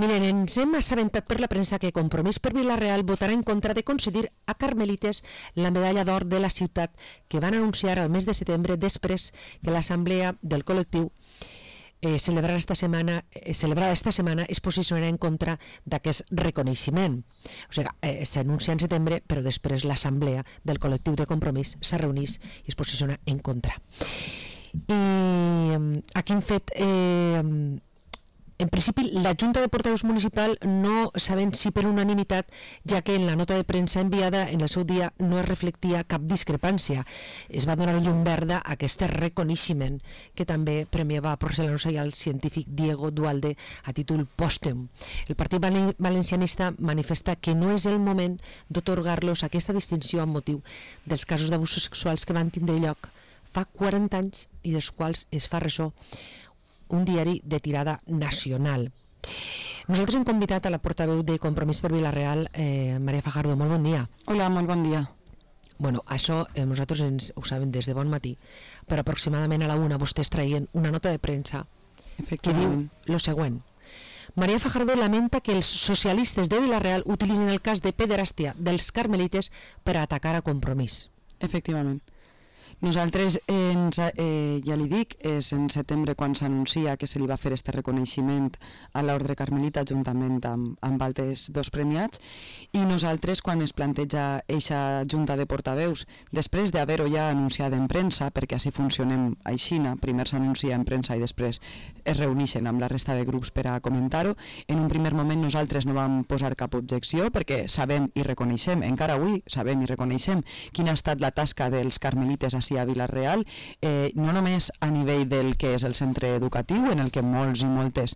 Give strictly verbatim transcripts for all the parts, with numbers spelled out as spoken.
Miren, ens hem assabentat per la premsa que Compromís per Vila-real votarà en contra de concedir a Carmelites la medalla d'or de la ciutat que van anunciar al mes de setembre després que l'assemblea del col·lectiu eh, celebrada esta setmana eh, celebrada esta setmana es posicionarà en contra d'aquest reconeixement. O sigui, eh, s'anuncia en setembre, però després l'assemblea del col·lectiu de Compromís se reuneix i es posiciona en contra. I eh, aquí hem fet... Eh, En principi, la Junta de Portaveus Municipal no sabem si per unanimitat, ja que en la nota de premsa enviada en el seu dia no es reflectia cap discrepància. Es va donar llum verda a aquest reconeixement que també premiava a Porcelanos i al científic Diego Dualde a títol pòstum. El Partit Valencianista manifesta que no és el moment d'atorgar-los aquesta distinció amb motiu dels casos d'abusos sexuals que van tindre lloc fa quaranta anys i dels quals es fa ressò un diari de tirada nacional. Nosaltres hem convidat a la portaveu de Compromís per Vila-real, eh, Maria Fajardo. Molt bon dia. Hola, molt bon dia. Bueno, això eh, nosaltres ens ho sabem des de bon matí, però aproximadament a la una vostès traien una nota de premsa que diu lo següent. Maria Fajardo lamenta que els socialistes de Vila-real utilitzin el cas de pederàstia dels carmelites per a atacar a Compromís. Efectivament. Nosaltres, ens, eh, ja li dic, és en setembre quan s'anuncia que se li va fer este reconeixement a l'Ordre Carmelita juntament amb, amb altres dos premiats, i nosaltres quan es planteja eixa junta de portaveus, després d'haver-ho ja anunciat en premsa, perquè així funcionem aixina, primer s'anuncia en premsa i després es reuneixen amb la resta de grups per a comentar-ho, en un primer moment nosaltres no vam posar cap objecció perquè sabem i reconeixem, encara avui sabem i reconeixem quina ha estat la tasca dels carmelites a a Vila-real, eh, no només a nivell del que és el centre educatiu, en el que molts i moltes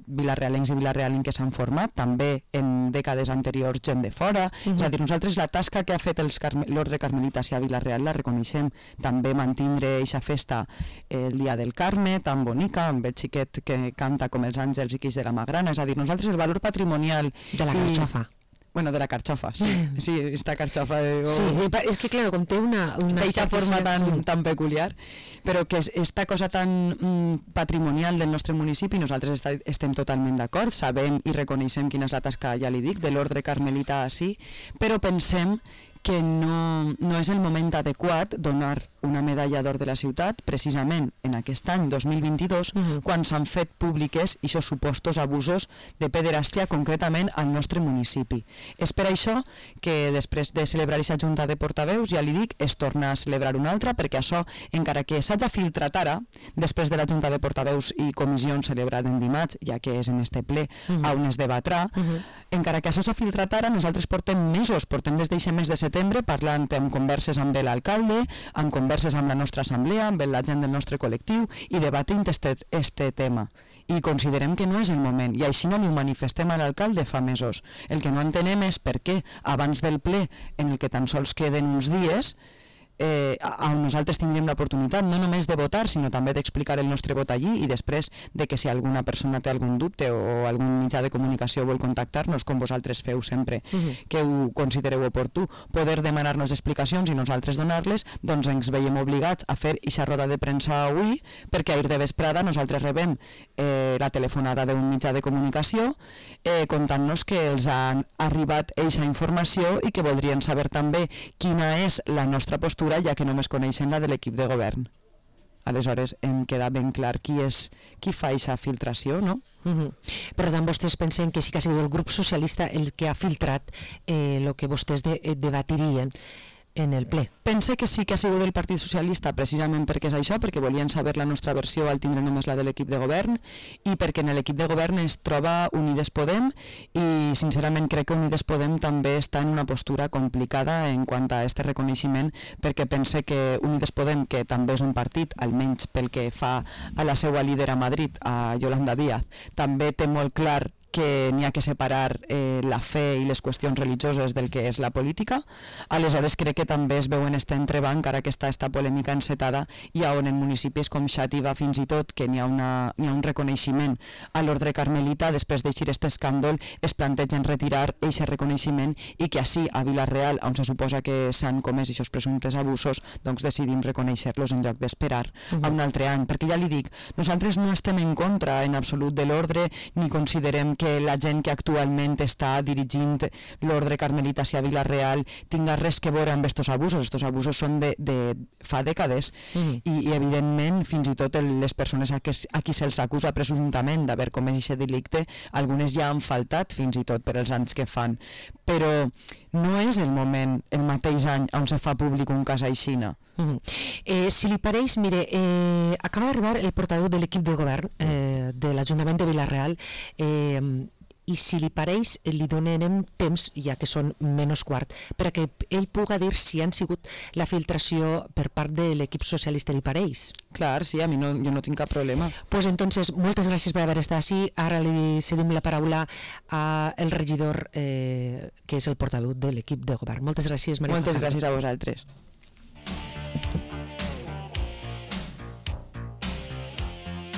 vilarealencs i vilarealenques s'han format, també en dècades anteriors gent de fora. Uh-huh. És a dir, nosaltres la tasca que ha fet l'Ordre Carmelita a Vila-real la reconeixem. També mantindre eixa festa eh, el dia del Carme, tan bonica, amb el xiquet que canta com els àngels i quix de la Magrana. És a dir, nosaltres el valor patrimonial... De la carxofa. Bueno, de la carxofa, sí, sí, esta carxofa... Eh, sí, és que, claro, com té una... una d'aquesta forma tan, tan peculiar, però que és esta cosa tan mm, patrimonial del nostre municipi, nosaltres està, estem totalment d'acord, sabem i reconeixem quina és la tasca, ja li dic, de l'Ordre Carmelita així, però pensem que no, no és el moment adequat donar una medalla d'or de la ciutat precisament en aquest any dos mil vint-i-dos, uh-huh. quan s'han fet públiques aquests supostos abusos de pederàstia concretament al nostre municipi. És per això que després de celebrar aquesta junta de portaveus, ja li dic, es torna a celebrar una altra, perquè això, encara que s'hagi filtrat ara, després de la junta de portaveus i comissions celebrada en dimarts, ja que és en este ple uh-huh. on es debatrà, uh-huh. encara que això s'ha filtrat ara, nosaltres portem mesos, portem des d'aquest mes de setembre parlant amb converses amb l'alcalde, amb converses amb la nostra assemblea, amb la gent del nostre col·lectiu i debatint este, este tema. I considerem que no és el moment, i així no li ho manifestem a l'alcalde fa mesos. El que no entenem és per què abans del ple, en el que tan sols queden uns dies, Eh, on nosaltres tindríem l'oportunitat no només de votar, sinó també d'explicar el nostre vot allí, i després de que si alguna persona té algun dubte o algun mitjà de comunicació vol contactar-nos, com vosaltres feu sempre, uh-huh. que ho considereu oportú, poder demanar-nos explicacions i nosaltres donar-les, doncs ens veiem obligats a fer eixa roda de premsa avui, perquè ahir de vesprada nosaltres rebem eh, la telefonada d'un mitjà de comunicació eh, contant-nos que els han arribat eixa informació i que voldrien saber també quina és la nostra postura, ja que només coneixen la de l'equip de govern. Aleshores em queda ben clar qui és qui fa aquesta filtració, no? Uh-huh. Per tant, vostès pensen que sí que ha sigut el grup socialista el que ha filtrat el eh, que vostès de, eh, debatirien en el ple. Pense que sí que ha sigut del Partit Socialista, precisament perquè és això, perquè volien saber la nostra versió al tindre només la de l'equip de govern, i perquè en l'equip de govern es troba Unides Podem, i sincerament crec que Unides Podem també està en una postura complicada en quant a este reconeixement, perquè pense que Unides Podem, que també és un partit, almenys pel que fa a la seva líder a Madrid, a Yolanda Díaz, també té molt clar que n'hi ha que separar eh, la fe i les qüestions religioses del que és la política. Aleshores crec que també es veu en este entrebanc, ara que està esta polèmica encetada, i on en municipis com Xàtiva fins i tot, que n'hi ha, una, n'hi ha un reconeixement a l'Ordre Carmelita, després d'eixir aquest escàndol es plantegen retirar aquest reconeixement, i que així a Vila-real, on se suposa que s'han comès aquests presumptes abusos, doncs decidim reconèixer-los en lloc d'esperar uh-huh. a un altre any, perquè ja li dic, nosaltres no estem en contra en absolut de l'ordre, ni considerem que la gent que actualment està dirigint l'ordre carmelita a Vila-real tinga res que veure amb estos abusos. Estos abusos són de, de fa dècades mm. i, i evidentment fins i tot les persones a, que, a qui se'ls acusa presumptament d'haver comès aquest delicte, algunes ja han faltat fins i tot per els anys que fan, però no és el moment, el mateix any on se fa públic un cas aixina. Mm-hmm. eh, si li pareix, mire, eh, acaba d'arribar el portaveu de l'equip de govern eh, de l'Ajuntament de Vila-real, eh, i si li pareix li donarem temps, ja que són menys quart, perquè ell puga dir si han sigut la filtració per part de l'equip socialista, li pareix? Clar, sí, a mi no, jo no tinc cap problema. Pues entonces, moltes gràcies per haver estat així. Ara li cedim la paraula al regidor, eh, que és el portaveu de l'equip de govern. Moltes gràcies, Maria. Moltes gràcies a vosaltres.